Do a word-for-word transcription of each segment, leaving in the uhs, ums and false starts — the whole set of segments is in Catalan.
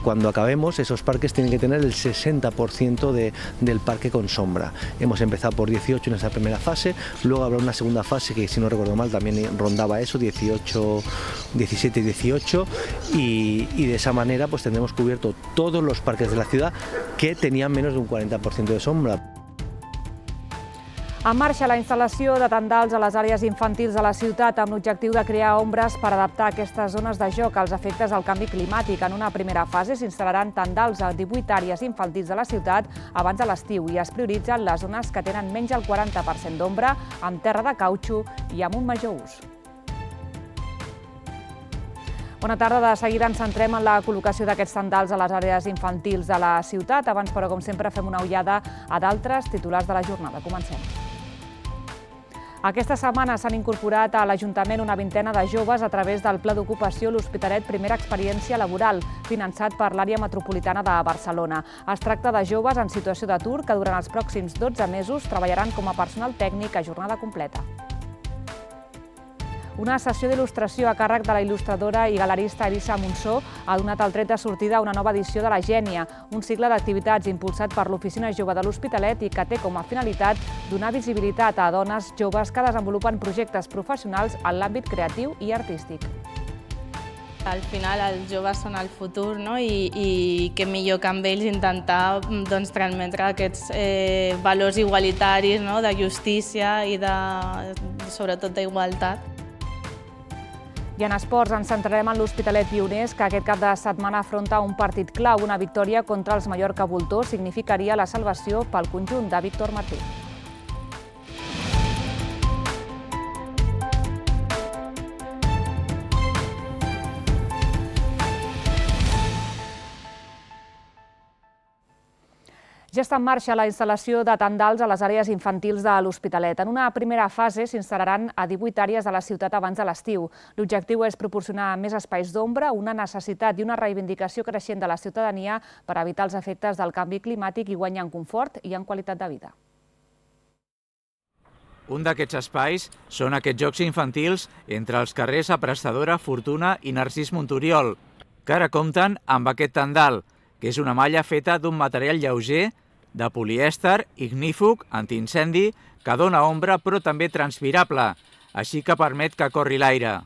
cuando acabemos esos parques tienen que tener el sesenta por ciento de, del parque con sombra. Hemos empezado por dieciocho en esa primera fase, luego habrá una segunda fase que, si no recuerdo mal, también rondaba eso, dieciocho, diecisiete y dieciocho, y, y de esa manera pues tendremos cubierto todos los parques de la ciudad que tenían menos de un cuarenta por ciento de sombra. En marxa la instal·lació de tendals a les àrees infantils de la ciutat amb l'objectiu de crear ombres per adaptar aquestes zones de joc als efectes del canvi climàtic. En una primera fase s'instal·laran tendals a divuit àrees infantils de la ciutat abans de l'estiu i es prioritzen les zones que tenen menys del quaranta per cent d'ombra, amb terra de cautxú i amb un major ús. Bona tarda. De seguida ens centrem en la col·locació d'aquests tendals a les àrees infantils de la ciutat. Abans, però, com sempre, fem una ullada a d'altres titulars de la jornada. Comencem. Aquesta setmana s'han incorporat a l'Ajuntament una vintena de joves a través del Pla d'Ocupació L'Hospitalet Primera Experiència Laboral, finançat per l'àrea metropolitana de Barcelona. Es tracta de joves en situació d'atur que durant els pròxims dotze mesos treballaran com a personal tècnic a jornada completa. Una sessió d'il·lustració a càrrec de la il·lustradora i galerista Elisa Monsó ha donat el tret de sortida a una nova edició de La Gènia, un cicle d'activitats impulsat per l'Oficina Jove de l'Hospitalet i que té com a finalitat donar visibilitat a dones joves que desenvolupen projectes professionals en l'àmbit creatiu i artístic. Al final els joves són el futur, no? I, i què millor que amb ells intentar doncs, transmetre aquests eh, valors igualitaris, no? De justícia i de, sobretot d'igualtat. I en esports ens centrarem en l'Hospitalet Pioners, que aquest cap de setmana afronta un partit clau. Una victòria contra els Mallorca Voltors significaria la salvació pel conjunt de Víctor Martí. Ja està en marxa la instal·lació de tendals a les àrees infantils de l'Hospitalet. En una primera fase s'instal·laran a divuit àrees de la ciutat abans de l'estiu. L'objectiu és proporcionar més espais d'ombra, una necessitat i una reivindicació creixent de la ciutadania per evitar els efectes del canvi climàtic i guanyar en confort i en qualitat de vida. Un d'aquests espais són aquests jocs infantils entre els carrers Aprestadora, Fortuna i Narcís Monturiol, que ara compten amb aquest tendal, que és una malla feta d'un material lleuger, de polièster, ignífug, antiincendi, que dona ombra però també transpirable, així que permet que corri l'aire.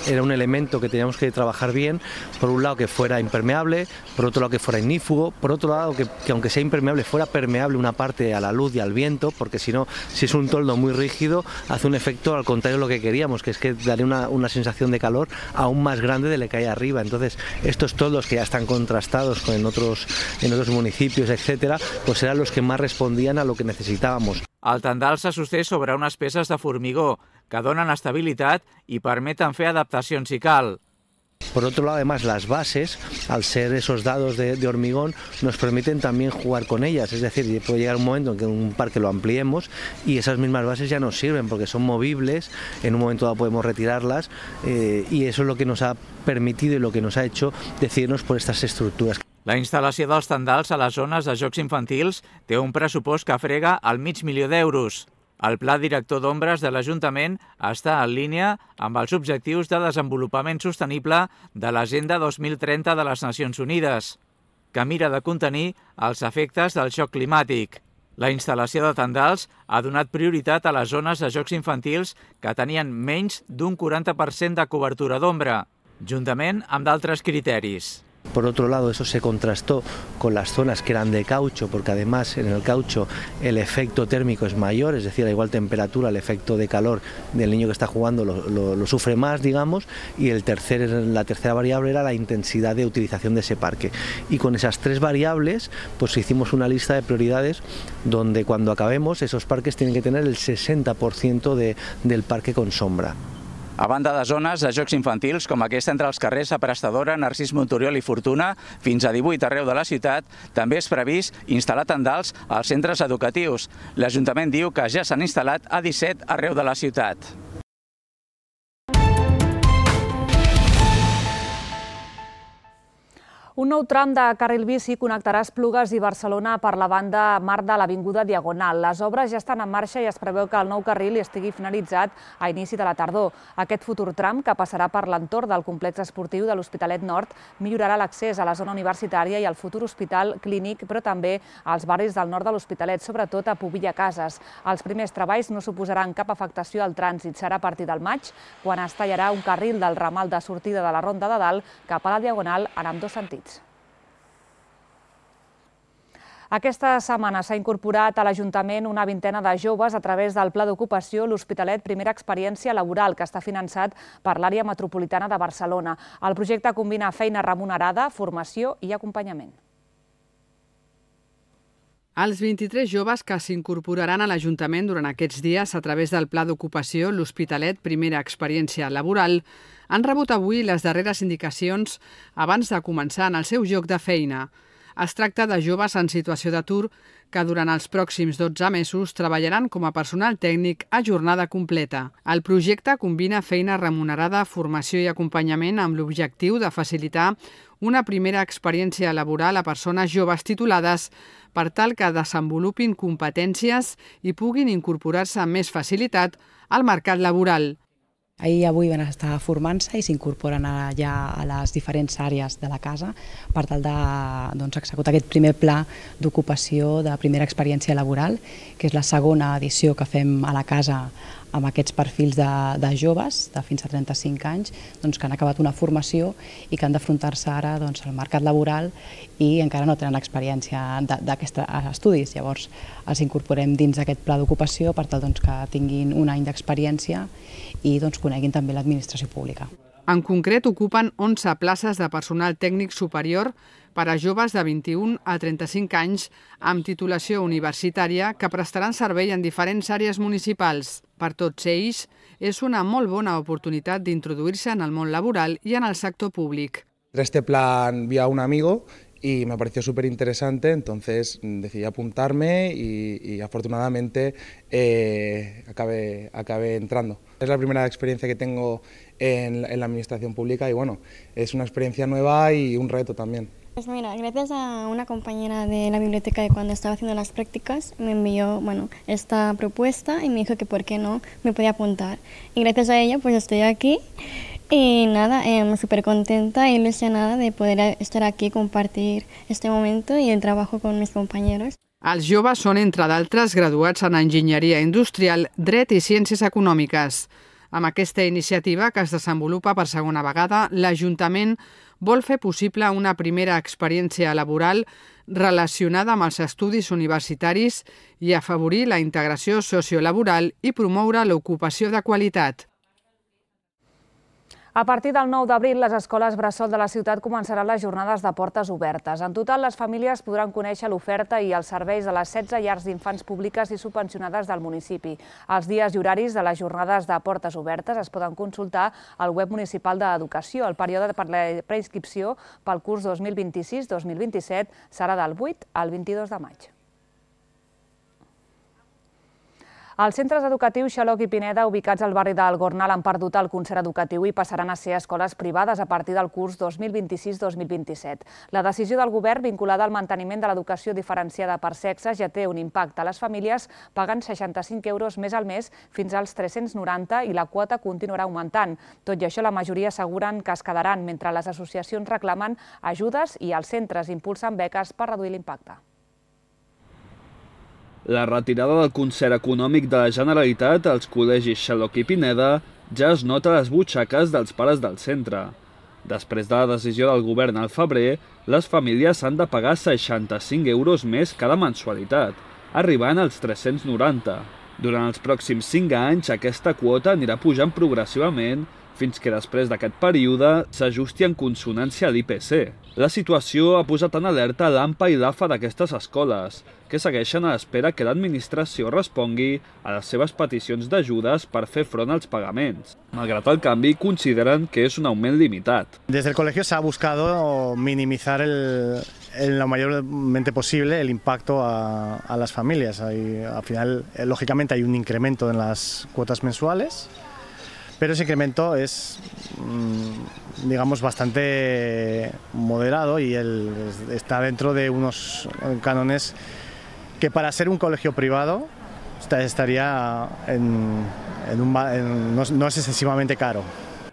Era un elemento que teníamos que trabajar bien, por un lado que fuera impermeable, por otro lado que fuera ignífugo, por otro lado que, que aunque sea impermeable fuera permeable una parte a la luz y al viento, porque si no, si es un toldo muy rígido, hace un efecto al contrario de lo que queríamos, que es que daría una, una sensación de calor aún más grande de lo que hay arriba. Entonces, estos toldos que ya están contrastados con en otros, en otros municipios, etcétera, pues eran los que más respondían a lo que necesitábamos. El tendal se sosté sobre unes peces de formigó que donen estabilitat i permeten fer adaptacions si cal. Por otro lado, además, las bases, al ser esos dados de, de hormigón, nos permiten también jugar con ellas. Es decir, puede llegar un momento en que un parque lo ampliemos y esas mismas bases ya nos sirven porque son movibles, en un momento dado podemos retirarlas eh, y eso es lo que nos ha permitido y lo que nos ha hecho decidirnos por estas estructuras. La instal·lació dels tendals a les zones de jocs infantils té un pressupost que frega el mig milió d'euros. El Pla Director d'Ombres de l'Ajuntament està en línia amb els objectius de desenvolupament sostenible de l'Agenda dos mil trenta de les Nacions Unides, que mira de contenir els efectes del xoc climàtic. La instal·lació de tendals ha donat prioritat a les zones de jocs infantils que tenien menys d'un quaranta per cent de cobertura d'ombra, juntament amb d'altres criteris. Por otro lado, eso se contrastó con las zonas que eran de caucho, porque además en el caucho el efecto térmico es mayor, es decir, a igual temperatura el efecto de calor del niño que está jugando lo, lo, lo sufre más, digamos, y el tercer, la tercera variable era la intensidad de utilización de ese parque. Y con esas tres variables, pues hicimos una lista de prioridades donde cuando acabemos esos parques tienen que tener el sesenta por ciento de, del parque con sombra. A banda de zones de jocs infantils com aquesta entre els carrers Aprestadora, Narcís Monturiol i Fortuna, fins a divuit arreu de la ciutat, també és previst instal·lar tendals als centres educatius. L'Ajuntament diu que ja s'han instal·lat a disset arreu de la ciutat. Un nou tram de carril bici connectarà Esplugues i Barcelona per la banda mar de l'Avinguda Diagonal. Les obres ja estan en marxa i es preveu que el nou carril estigui finalitzat a inici de la tardor. Aquest futur tram, que passarà per l'entorn del complex esportiu de l'Hospitalet Nord, millorarà l'accés a la zona universitària i al futur hospital clínic, però també als barris del nord de l'Hospitalet, sobretot a Pobilla Cases. Els primers treballs no suposaran cap afectació al trànsit. Serà a partir del maig, quan es tallarà un carril del ramal de sortida de la Ronda de Dalt cap a la Diagonal en ambdós sentits. Aquesta setmana s'ha incorporat a l'Ajuntament una vintena de joves a través del Pla d'Ocupació L'Hospitalet Primera Experiència Laboral, que està finançat per l'àrea metropolitana de Barcelona. El projecte combina feina remunerada, formació i acompanyament. Els vint-i-tres joves que s'incorporaran a l'Ajuntament durant aquests dies a través del Pla d'Ocupació L'Hospitalet Primera Experiència Laboral han rebut avui les darreres indicacions abans de començar en el seu lloc de feina. Es tracta de joves en situació d'atur que durant els pròxims dotze mesos treballaran com a personal tècnic a jornada completa. El projecte combina feina remunerada, formació i acompanyament amb l'objectiu de facilitar una primera experiència laboral a persones joves titulades per tal que desenvolupin competències i puguin incorporar-se amb més facilitat al mercat laboral. Ahir i avui van estar formant-se i s'incorporen ja a les diferents àrees de la casa per tal de doncs, executar aquest primer pla d'ocupació de primera experiència laboral, que és la segona edició que fem a la casa amb aquests perfils de, de joves de fins a trenta-cinc anys doncs, que han acabat una formació i que han d'afrontar-se ara doncs, al mercat laboral i encara no tenen experiència d'aquests estudis. Llavors els incorporem dins d'aquest pla d'ocupació per tal doncs, que tinguin un any d'experiència i doncs, coneguin també l'administració pública. En concret, ocupen onze places de personal tècnic superior per a joves de vint-i-un a trenta-cinc anys amb titulació universitària que prestaran servei en diferents àrees municipals. Per tots ells, és una molt bona oportunitat d'introduir-se en el món laboral y en el sector público. Este plan vi a un amigo y me pareció súper interesante, entonces decidí apuntarme y, y afortunadamente eh, acabé, acabé entrando. Es la primera experiencia que tengo en, en la administración pública y bueno, es una experiencia nueva y un reto también. Pues mira, gracias a una compañera de la biblioteca de cuando estaba haciendo las prácticas me envió bueno, esta propuesta y me dijo que por qué no me podía apuntar. Y gracias a ella pues estoy aquí y nada, eh, súper contenta y ilusionada de poder estar aquí, compartir este momento y el trabajo con mis compañeros. Els joves són, entre d'altres, graduats en Enginyeria Industrial, Dret i Ciències Econòmiques. Amb aquesta iniciativa, que es desenvolupa per segona vegada, l'Ajuntament vol fer possible una primera experiència laboral relacionada amb els estudis universitaris i afavorir la integració sociolaboral i promoure l'ocupació de qualitat. A partir del nou d'abril, les escoles bressol de la ciutat començaran les jornades de portes obertes. En total, les famílies podran conèixer l'oferta i els serveis de les setze llars d'infants públiques i subvencionades del municipi. Els dies i horaris de les jornades de portes obertes es poden consultar al web municipal d'Educació. El període per la preinscripció pel curs dos mil vint-i-sis dos mil vint-i-set serà del vuit al vint-i-dos de maig. Els centres educatius Xaloc i Pineda, ubicats al barri del Gornal, han perdut el concert educatiu i passaran a ser escoles privades a partir del curs dos mil vint-i-sis dos mil vint-i-set. La decisió del govern vinculada al manteniment de l'educació diferenciada per sexes ja té un impacte. Les famílies paguen seixanta-cinc euros més al mes fins als tres-cents noranta i la quota continuarà augmentant. Tot i això, la majoria asseguren que es quedaran, mentre les associacions reclamen ajudes i els centres impulsen beques per reduir l'impacte. La retirada del concert econòmic de la Generalitat als col·legis Xaloc i Pineda ja es nota a les butxaques dels pares del centre. Després de la decisió del govern al febrer, les famílies han de pagar seixanta-cinc euros més cada mensualitat, arribant als tres-cents noranta. Durant els pròxims cinc anys, aquesta quota anirà pujant progressivament fins que després d'aquest període s'ajusti en consonància a l'I P C. La situació ha posat en alerta l'A M P A i l'A F A d'aquestes escoles, que segueixen a l'espera que l'administració respongui a les seves peticions d'ajudes per fer front als pagaments. Malgrat el canvi, consideren que és un augment limitat. Desde el colegio se ha buscado minimizar el, en lo mayormente posible el impacto a, a las familias. Hay, al final, lógicamente, hay un incremento en las cuotas mensuales, pero ese incremento es, digamos, bastante moderado y el, está dentro de unos cánones que para ser un colegio privado estaría en, en un, en, no, no és excessivamente caro.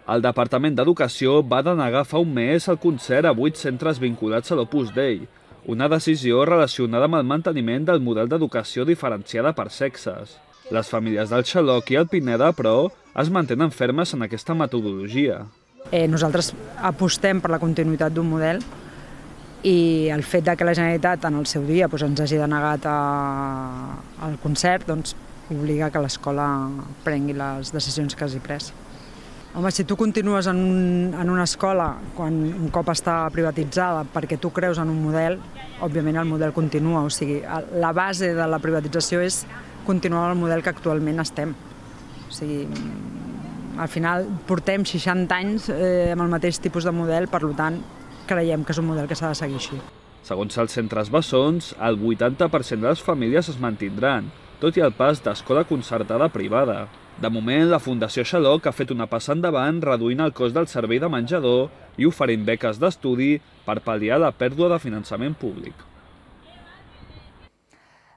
El Departament d'Educació va denegar fa un mes el concert a vuit centres vinculats a l'Opus Dei, una decisió relacionada amb el manteniment del model d'educació diferenciada per sexes. Les famílies del Xaloc i el Pineda, però, es mantenen fermes en aquesta metodologia. Eh, nosaltres apostem per la continuïtat d'un model i el fet de que la Generalitat en el seu dia doncs, ens hagi denegat a, el concert doncs, obliga que l'escola prengui les decisions que hagi pres. Home, si tu continues en, un, en una escola quan un cop està privatitzada perquè tu creus en un model, òbviament el model continua. O sigui, la base de la privatització és continuar el model que actualment estem. O sigui, al final portem seixanta anys eh, amb el mateix tipus de model, per tant, creiem que és un model que s'ha de seguir així. Segons els centres bessons, el vuitanta per cent de les famílies es mantindran, tot i el pas d'escola concertada privada. De moment, la Fundació Xaloc ha fet una passa endavant reduint el cost del servei de menjador i oferint beques d'estudi per pal·liar la pèrdua de finançament públic.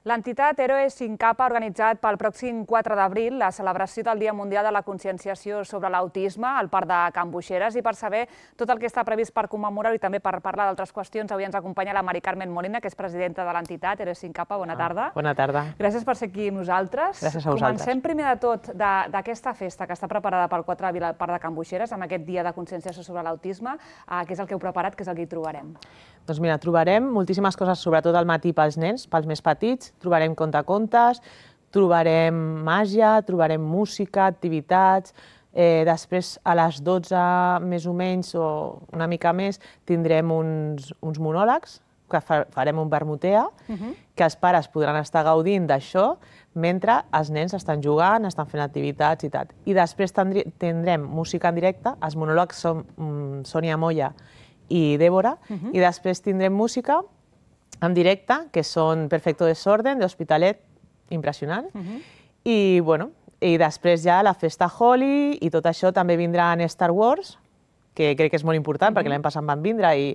L'entitat Héroes Sin Capa ha organitzat pel pròxim quatre d'abril la celebració del Dia Mundial de la Conscienciació sobre l'Autisme al Parc de Can Boixeres, i per saber tot el que està previst per commemorar-ho i també per parlar d'altres qüestions, avui ens acompanya la Mari Carmen Molina, que és presidenta de l'entitat Héroes Sin Capa. Bona tarda. Bona tarda. Gràcies per ser aquí amb nosaltres. Gràcies a vosaltres. Comencem primer de tot d'aquesta festa que està preparada pel quatre d'abril al Parc de Can Boixeres, amb aquest Dia de Conscienciació sobre l'Autisme. Què és el que heu preparat, què és el que hi trobarem? Doncs mira, trobarem moltíssimes coses, sobretot al matí pels nens, pels més petits. Trobarem contacontes, trobarem màgia, trobarem música, activitats. Eh, després, a les dotze, més o menys, o una mica més, tindrem uns, uns monòlegs, que farem un vermutea, uh-huh. que els pares podran estar gaudint d'això mentre els nens estan jugant, estan fent activitats i tal. I després tindrem música en directe, els monòlegs són um, Sònia Moya i Débora, uh-huh. i després tindrem música en directe, que són Perfecto Desorden, d'Hospitalet, impressionant, uh-huh. i, bueno, i després ja la festa Holi i tot això. També vindran Star Wars, que crec que és molt important, uh-huh. perquè l'any passat van vindre i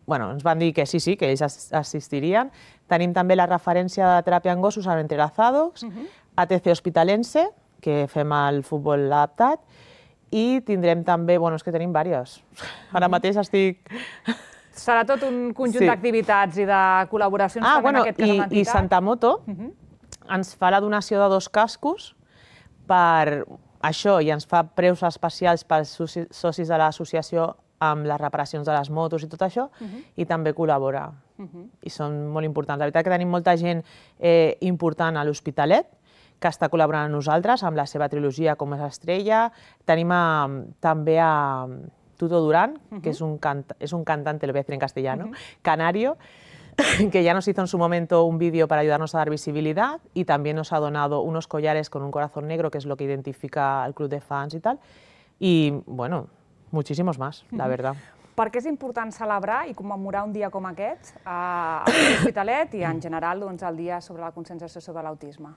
bueno, ens van dir que sí, sí, que ells assistirien. Tenim també la referència de teràpia en gossos amb Entrelazados, uh-huh. A T C Hospitalense, que fem el futbol adaptat, i tindrem també, bueno, és que tenim diverses. Ara mateix estic... Serà tot un conjunt sí. d'activitats i de col·laboracions ah, també bueno, en aquest cas amb l'entitat. I Santa Moto uh-huh. ens fa la donació de dos cascos per això i ens fa preus especials pels socis de l'associació amb les reparacions de les motos i tot això, uh-huh. i també col·labora. Uh-huh. I són molt importants. La veritat que tenim molta gent eh, important a l'Hospitalet, que està col·laborant amb nosaltres, amb la seva trilogia Com és Estrella. Tenim a, també a Tuto Durán, uh-huh. que és un, cant és un cantante, lo voy a decir en castellano, uh-huh. canario, que ya nos hizo en su momento un vídeo para ayudarnos a dar visibilidad y también nos ha donado unos collares con un corazón negro, que es lo que identifica al club de fans y tal. Y, bueno, muchísimos más, uh-huh. la verdad. Per què és important celebrar i commemorar un dia com aquest a l'Hospitalet i en general doncs, el Dia sobre la Conscienciació sobre l'Autisme?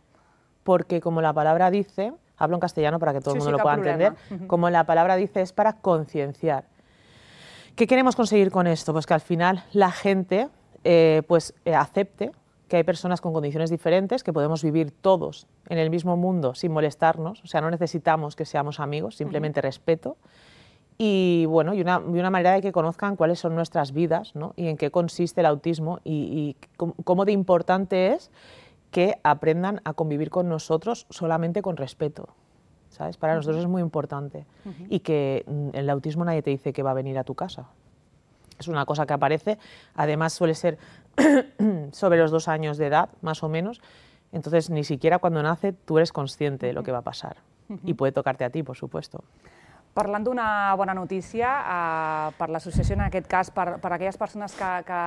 Porque como la palabra dice, hablo en castellano para que todo el mundo lo pueda entender, como la palabra dice es para concienciar. ¿Qué queremos conseguir con esto? Pues que al final la gente eh, pues, eh, acepte que hay personas con condiciones diferentes, que podemos vivir todos en el mismo mundo sin molestarnos, o sea, no necesitamos que seamos amigos, simplemente uh-huh. respeto. Y, bueno, y, una, y una manera de que conozcan cuáles son nuestras vidas, ¿no? Y en qué consiste el autismo y, y cómo de importante es que aprendan a convivir con nosotros solamente con respeto, ¿sabes? Para nosotros es muy importante. Uh-huh. Y que en el autismo nadie te dice que va a venir a tu casa. Es una cosa que aparece, además suele ser sobre los dos años de edad, más o menos, entonces ni siquiera cuando nace tú eres consciente de lo que va a pasar. Uh-huh. Y puede tocarte a ti, por supuesto. Parlant d'una bona notícia eh, per l'associació, en aquest cas per, per aquelles persones que, que,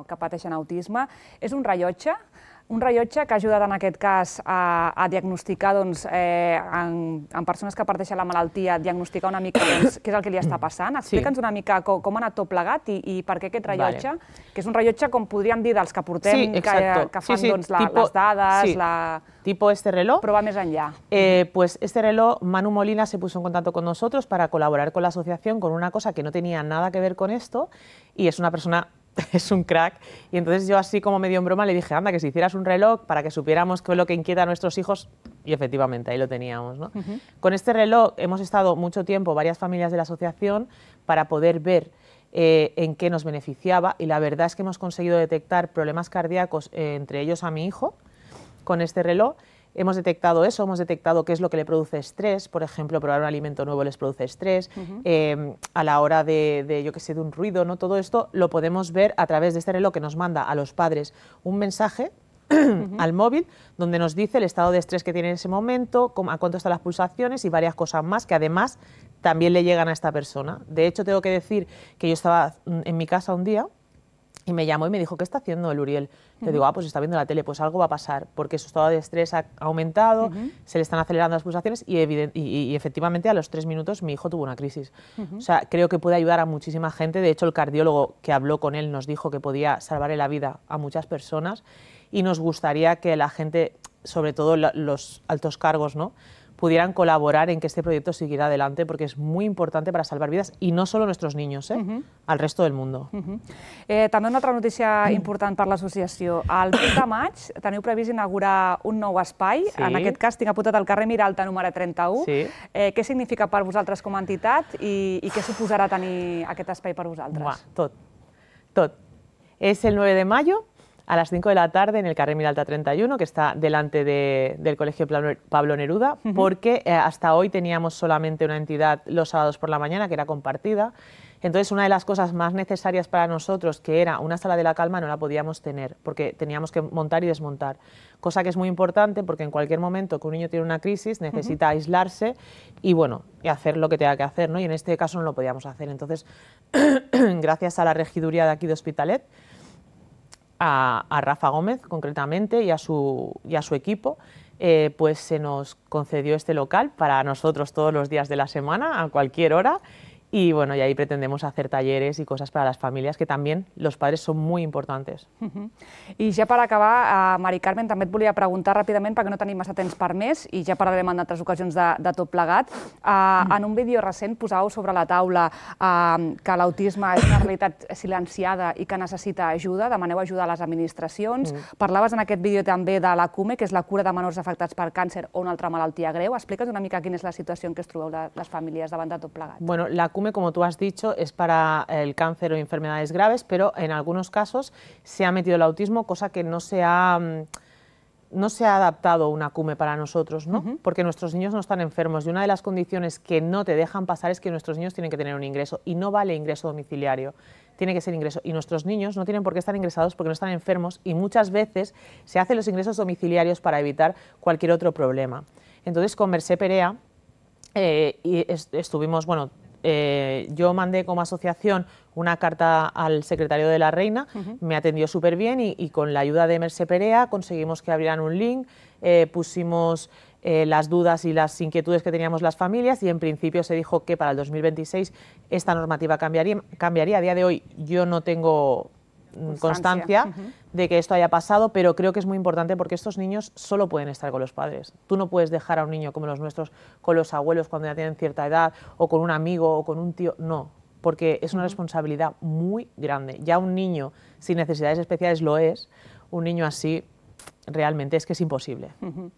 que pateixen autisme, és un rellotge Un rellotge que ha ajudat en aquest cas a, a diagnosticar doncs, eh, en, en persones que parteixen la malaltia, diagnosticar una mica doncs, què és el que li està passant. Explica'ns una mica com, com ha anat tot plegat i, i per què aquest rellotge, vale. que és un rellotge, com podríem dir, dels que portem, sí, que, que fan sí, sí, doncs, la, tipo, les dades, sí. la... tipo este reloj. Però va més enllà. Eh, pues este reloj, Manu Molina se puso en contacto con nosotros para colaborar con la asociación con una cosa que no tenía nada que ver con esto y es una persona... es un crack, y entonces yo así como medio en broma le dije, anda, que si hicieras un reloj para que supiéramos qué es lo que inquieta a nuestros hijos, y efectivamente ahí lo teníamos, ¿no? Uh-huh. Con este reloj hemos estado mucho tiempo, varias familias de la asociación, para poder ver eh, en qué nos beneficiaba, y la verdad es que hemos conseguido detectar problemas cardíacos, eh, entre ellos a mi hijo, con este reloj. Hemos detectado eso, hemos detectado qué es lo que le produce estrés, por ejemplo, probar un alimento nuevo les produce estrés, uh-huh. eh, a la hora de, de, yo qué sé, de un ruido, ¿no? Todo esto lo podemos ver a través de este reloj que nos manda a los padres un mensaje uh-huh. al móvil donde nos dice el estado de estrés que tiene en ese momento, a cuánto están las pulsaciones y varias cosas más que además también le llegan a esta persona. De hecho, tengo que decir que yo estaba en mi casa un día y me llamó y me dijo, ¿qué está haciendo el Uriel? Uh-huh. Yo digo, ah, pues está viendo la tele, pues algo va a pasar, porque su estado de estrés ha aumentado, uh-huh. se le están acelerando las pulsaciones y, evident- y, y efectivamente a los tres minutos mi hijo tuvo una crisis. Uh-huh. O sea, creo que puede ayudar a muchísima gente. De hecho, el cardiólogo que habló con él nos dijo que podía salvarle la vida a muchas personas y nos gustaría que la gente, sobre todo la, los altos cargos, ¿no?, pudieran colaborar en que este proyecto siguiera adelante, porque es muy importante para salvar vidas, y no solo nuestros niños, eh, uh-huh. al resto del mundo. Uh-huh. eh, també una altra notícia important per l'associació. El vuit de maig teniu previst inaugurar un nou espai, sí. en aquest cas tinc apuntat al carrer Miralta número trenta-u. Sí. Eh, què significa per vosaltres com a entitat i, i què suposarà tenir aquest espai per vosaltres? Buah, tot, tot. Es el nueve de mayo, a las cinco de la tarde en el carrer Miralta treinta y uno, que está delante de, del Colegio Pablo Neruda, uh-huh. porque eh, hasta hoy teníamos solamente una entidad los sábados por la mañana, que era compartida. Entonces, una de las cosas más necesarias para nosotros, que era una sala de la calma, no la podíamos tener, porque teníamos que montar y desmontar. Cosa que es muy importante, porque en cualquier momento que un niño tiene una crisis, necesita uh-huh. aislarse y, bueno, y hacer lo que tenga que hacer, ¿no? Y en este caso no lo podíamos hacer. Entonces, gracias a la regiduría de aquí de Hospitalet, A, a Rafa Gómez concretamente y a su, y a su equipo, eh, pues se nos concedió este local para nosotros todos los días de la semana, a cualquier hora. Y bueno, y ahí pretendemos hacer talleres y cosas para las familias, que también los padres son muy importantes. Uh-huh. I ja per acabar, uh, Mari Carmen, també et volia preguntar ràpidament, perquè no tenim massa temps per més, i ja parlarem en altres ocasions de, de tot plegat. Uh, mm. En un vídeo recent posàveu sobre la taula uh, que l'autisme és una realitat silenciada i que necessita ajuda, demaneu ajuda a les administracions. Mm. Parlaves en aquest vídeo també de la CUME, que és la cura de menors afectats per càncer o una altra malaltia greu. Explica'ns una mica quina és la situació en què es trobeu les famílies davant de tot plegat. Bueno, la CUME, como tú has dicho, es para el cáncer o enfermedades graves, pero en algunos casos se ha metido el autismo, cosa que no se ha, no se ha adaptado una CUME para nosotros, ¿no? Uh-huh. Porque nuestros niños no están enfermos y una de las condiciones que no te dejan pasar es que nuestros niños tienen que tener un ingreso, y no vale ingreso domiciliario, tiene que ser ingreso. Y nuestros niños no tienen por qué estar ingresados porque no están enfermos, y muchas veces se hacen los ingresos domiciliarios para evitar cualquier otro problema. Entonces, con Mercè Perea eh, y est- estuvimos, bueno, Eh, yo mandé como asociación una carta al secretario de la Reina, uh-huh. me atendió súper bien y, y con la ayuda de Mercè Perea conseguimos que abrieran un link, eh, pusimos eh, las dudas y las inquietudes que teníamos las familias, y en principio se dijo que para el dos mil veintiséis esta normativa cambiaría. cambiaría. A día de hoy yo no tengo constancia uh-huh. de que esto haya pasado, pero creo que es muy importante porque estos niños solo pueden estar con los padres. Tú no puedes dejar a un niño como los nuestros con los abuelos cuando ya tienen cierta edad, o con un amigo o con un tío, no, porque es una uh-huh. responsabilidad muy grande. Ya un niño sin necesidades especiales lo es, un niño así realmente és que és impossible. Uh-huh.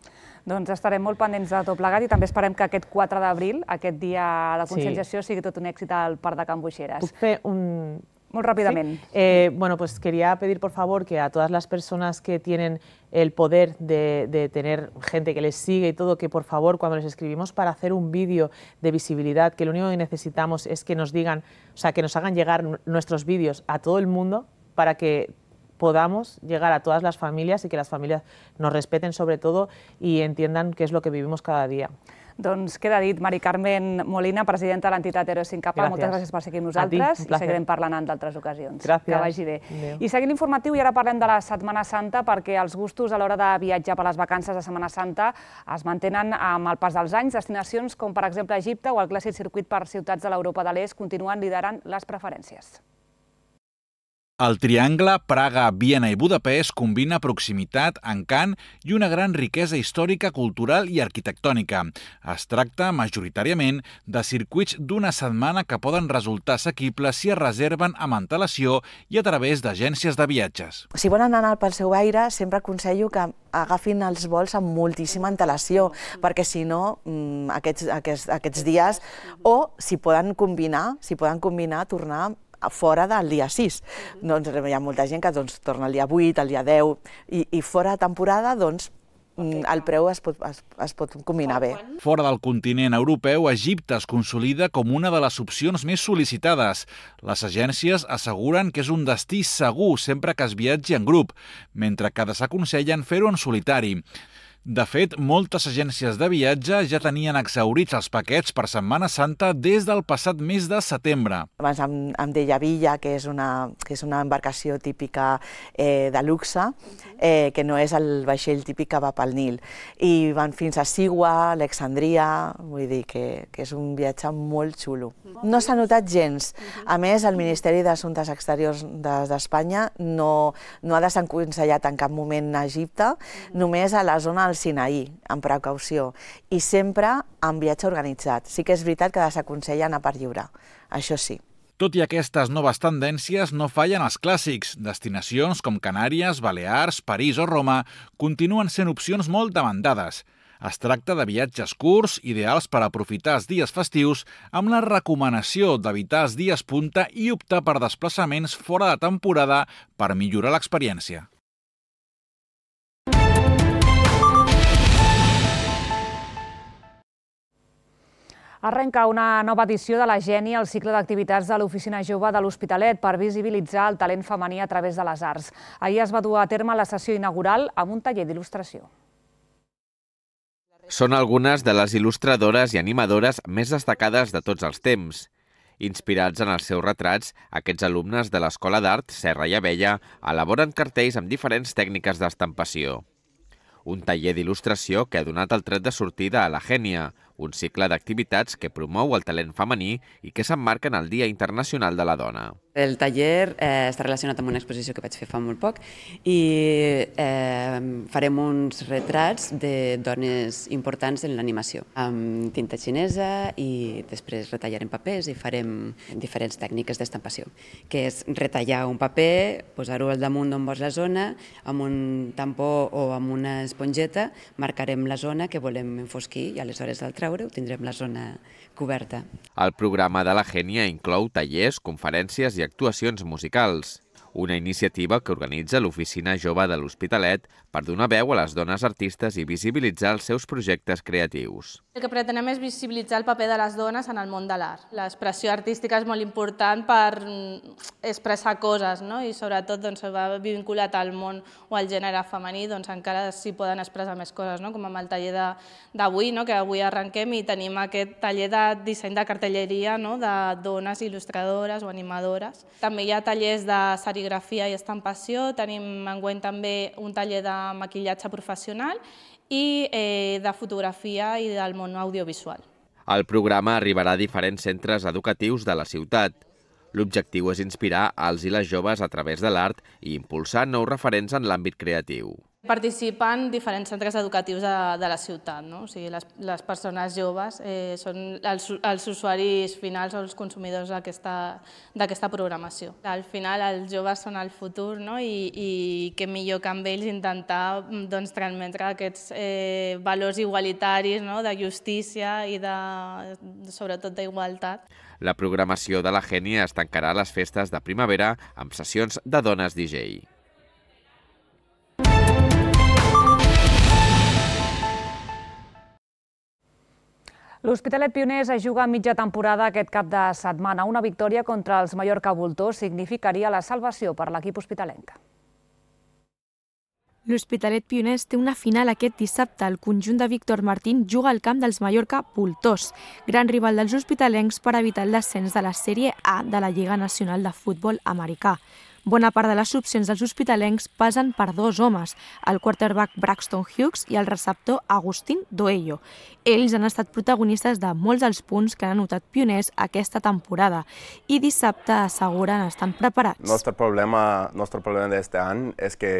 Doncs estarem molt pendents de tot plegat i també esperem que aquest quatre d'abril, aquest dia de conscienciació, sí. sigui tot un èxit al Parc de Can Boixeres. Puc fer un... Muy rápidamente. ¿Sí? Eh, bueno, pues quería pedir por favor que a todas las personas que tienen el poder de, de tener gente que les sigue y todo, que por favor cuando les escribimos para hacer un vídeo de visibilidad, que lo único que necesitamos es que nos digan, o sea, que nos hagan llegar nuestros vídeos a todo el mundo para que podamos llegar a todas las familias y que las familias nos respeten sobre todo y entiendan qué es lo que vivimos cada día. Doncs queda dit. Mari Carmen Molina, presidenta de l'entitat Héroes sin capa, moltes gràcies per ser aquí amb nosaltres i seguirem parlant en d'altres ocasions. Gràcies. Que vagi bé. I seguint l'informatiu, i ara parlem de la Setmana Santa, perquè els gustos a l'hora de viatjar per les vacances de Setmana Santa es mantenen amb el pas dels anys. Destinacions com, per exemple, Egipte o el clàssic circuit per ciutats de l'Europa de l'Est continuen liderant les preferències. El triangle Praga, Viena i Budapest combina proximitat, encant i una gran riquesa històrica, cultural i arquitectònica. Es tracta, majoritàriament, de circuits d'una setmana que poden resultar assequibles si es reserven amb antelació i a través d'agències de viatges. Si volen anar pel seu aire, sempre aconsello que agafin els vols amb moltíssima antelació, perquè si no, aquests, aquests, aquests dies, o si poden combinar, si poden combinar, tornar fora del dia sis. Doncs hi ha molta gent que doncs, torna el dia vuit, el dia deu, i, i fora de temporada doncs, el preu es pot, es, es pot combinar bé. Fora del continent europeu, Egipte es consolida com una de les opcions més sol·licitades. Les agències asseguren que és un destí segur sempre que es viatgi en grup, mentre que desaconsellen fer-ho en solitari. De fet, moltes agències de viatge ja tenien exhaurits els paquets per Setmana Santa des del passat mes de setembre. Abans em, em deia Villa, que és una, que és una embarcació típica eh, de luxe, eh, que no és el vaixell típic que va pel Nil. I van fins a Sigua, Alexandria, vull dir que, que és un viatge molt xulo. No s'ha notat gens. A més, el Ministeri d'Assumptes Exteriors d'Espanya no, no ha desaconsellat en cap moment a Egipte, només a la zona del Sinaí, amb precaució, i sempre amb viatge organitzat. Sí que és veritat que desaconsella anar per lliure, això sí. Tot i aquestes noves tendències, no fallen els clàssics. Destinacions com Canàries, Balears, París o Roma continuen sent opcions molt demandades. Es tracta de viatges curts, ideals per aprofitar els dies festius, amb la recomanació d'evitar els dies punta i optar per desplaçaments fora de temporada per millorar l'experiència. Arrenca una nova edició de la Geni, el cicle d'activitats de l'Oficina Jove de l'Hospitalet per visibilitzar el talent femení a través de les arts. Ahir es va dur a terme la sessió inaugural amb un taller d'il·lustració. Són algunes de les il·lustradores i animadores més destacades de tots els temps. Inspirats en els seus retrats, aquests alumnes de l'Escola d'Art Serra i Abella elaboren cartells amb diferents tècniques d'estampació. Un taller d'il·lustració que ha donat el tret de sortida a la Gènia, un cicle d'activitats que promou el talent femení i que s'emmarca en el Dia Internacional de la Dona. El taller eh, està relacionat amb una exposició que vaig fer fa molt poc i eh, farem uns retrats de dones importants en l'animació amb tinta xinesa i després retallarem papers i farem diferents tècniques d'estampació, que és retallar un paper, posar-ho al damunt d'on vols la zona, amb un tampó o amb una esponjeta marcarem la zona que volem enfosquir i aleshores al treure ho tindrem la zona coberta. El programa de la Gènia inclou tallers, conferències i actuacions musicals. Una iniciativa que organitza l'Oficina Jove de l'Hospitalet per donar veu a les dones artistes i visibilitzar els seus projectes creatius. El que pretenem és visibilitzar el paper de les dones en el món de l'art. L'expressió artística és molt important per expressar coses, no? I sobretot doncs, va vinculat al món o al gènere femení, doncs encara s'hi poden expressar més coses, no? Com amb el taller d'avui, no? Que avui arrenquem i tenim aquest taller de disseny de cartelleria, no? De dones il·lustradores o animadores. També hi ha tallers de serigrafia i estampació, tenim enguany també un taller de maquillatge professional i eh, de fotografia i del món audiovisual. El programa arribarà a diferents centres educatius de la ciutat. L'objectiu és inspirar els i les joves a través de l'art i impulsar nous referents en l'àmbit creatiu. Participen diferents centres educatius de, de la ciutat, no? O sigui, les, les persones joves eh, són els, els usuaris finals o els consumidors d'aquesta programació. Al final els joves són el futur, no? I, i què millor que amb ells intentar doncs, transmetre aquests eh, valors igualitaris, no? De justícia i de, sobretot d'igualtat. La programació de la Gènia es tancarà a les festes de primavera amb sessions de dones D J. L'Hospitalet Pioners es juga mitja temporada aquest cap de setmana. Una victòria contra els Mallorca Voltors significaria la salvació per l'equip hospitalenc. L'Hospitalet Pioners té una final aquest dissabte. El conjunt de Víctor Martín juga al camp dels Mallorca Voltors, gran rival dels hospitalencs per evitar el descens de la Sèrie A de la Lliga Nacional de Futbol Americà. Bona part de les opcions dels hospitalencs passen per dos homes, el quarterback Braxton Hughes i el receptor Agustín Doello. Ells han estat protagonistes de molts dels punts que han anotat Pioners aquesta temporada i dissabte asseguren estan preparats. Nostre problema, nostre problema d'aquest any és que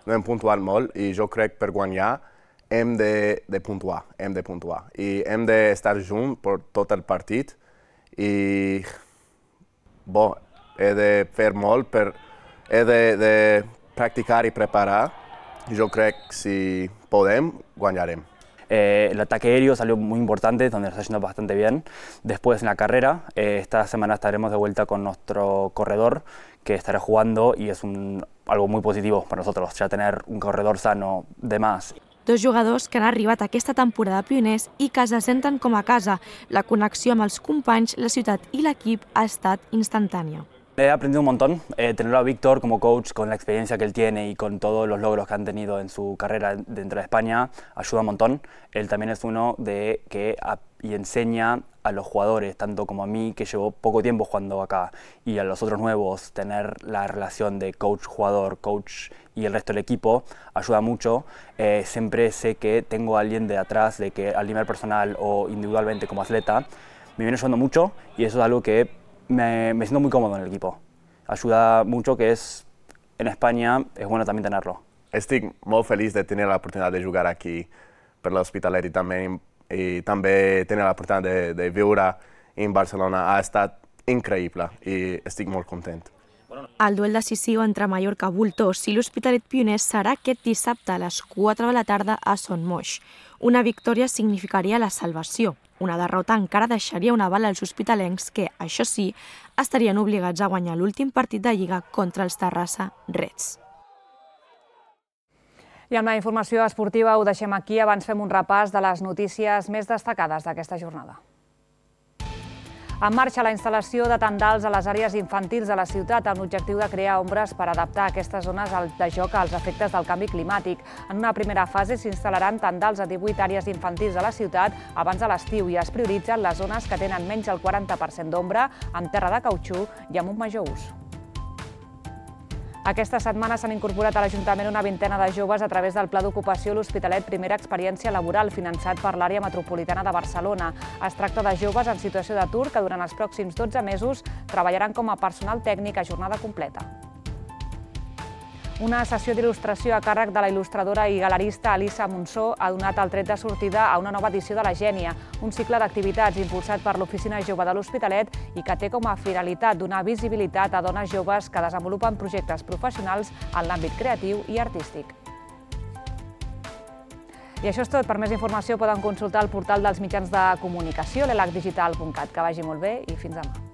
no hem puntuat molt i jo crec que per guanyar hem de, de puntuar, hem de puntuar i hem d'estar junts per tot el partit i bo, he de fer molt per he de, de practicar y preparar. Yo creo que si podemos, ganaremos. Eh, el ataque aéreo salió muy importante, donde nos está yendo bastante bien. Después en la carrera, eh, esta semana estaremos de vuelta con nuestro corredor, que estará jugando y es un, algo muy positivo para nosotros, ya tener un corredor sano de más. Dos jugadors que han arribat aquesta temporada a Pioners i que se senten com a casa. La connexió amb els companys, la ciutat i l'equip ha estat instantània. He aprendido un montón, eh, tenerlo a Víctor como coach, con la experiencia que él tiene y con todos los logros que han tenido en su carrera dentro de España, ayuda un montón. Él también es uno de que a, y enseña a los jugadores, tanto como a mí, que llevo poco tiempo jugando acá, y a los otros nuevos, tener la relación de coach-jugador, coach y el resto del equipo, ayuda mucho. Eh, siempre sé que tengo a alguien de atrás, de que al nivel personal o individualmente como atleta, me viene ayudando mucho y eso es algo que Me, me siento muy cómodo en el equipo. Ayuda mucho, que es en España, es bueno también tenerlo. Estic molt feliç de tenir l'oportunitat de jugar aquí per l'Hospitalet i també, i també tenir l'oportunitat de, de viure en Barcelona. Ha estat increïble i estic molt content. El duel decisiu entre Mallorca Voltors i l'Hospitalet Pioners serà aquest dissabte a les quatre de la tarda a Son Moix. Una victòria significaria la salvació. Una derrota encara deixaria una bala als hospitalencs que, això sí, estarien obligats a guanyar l'últim partit de Lliga contra els Terrassa Reds. I amb la informació esportiva ho deixem aquí. Abans fem un repàs de les notícies més destacades d'aquesta jornada. En marxa la instal·lació de tendals a les àrees infantils de la ciutat amb l'objectiu de crear ombres per adaptar aquestes zones de joc als efectes del canvi climàtic. En una primera fase s'instal·laran tendals a divuit àrees infantils de la ciutat abans de l'estiu i es prioritzen les zones que tenen menys del quaranta per cent d'ombra, amb terra de cautxú i amb un major ús. Aquesta setmana s'han incorporat a l'Ajuntament una vintena de joves a través del Pla d'Ocupació L'Hospitalet Primera Experiència Laboral, finançat per l'àrea metropolitana de Barcelona. Es tracta de joves en situació d'atur que durant els pròxims dotze mesos treballaran com a personal tècnic a jornada completa. Una sessió d'il·lustració a càrrec de la il·lustradora i galerista Elisa Monsó ha donat el tret de sortida a una nova edició de La Gènia, un cicle d'activitats impulsat per l'Oficina Jove de l'Hospitalet i que té com a finalitat donar visibilitat a dones joves que desenvolupen projectes professionals en l'àmbit creatiu i artístic. I això és tot. Per més informació poden consultar el portal dels mitjans de comunicació, l'elac digital punt cat. Que vagi molt bé i fins demà.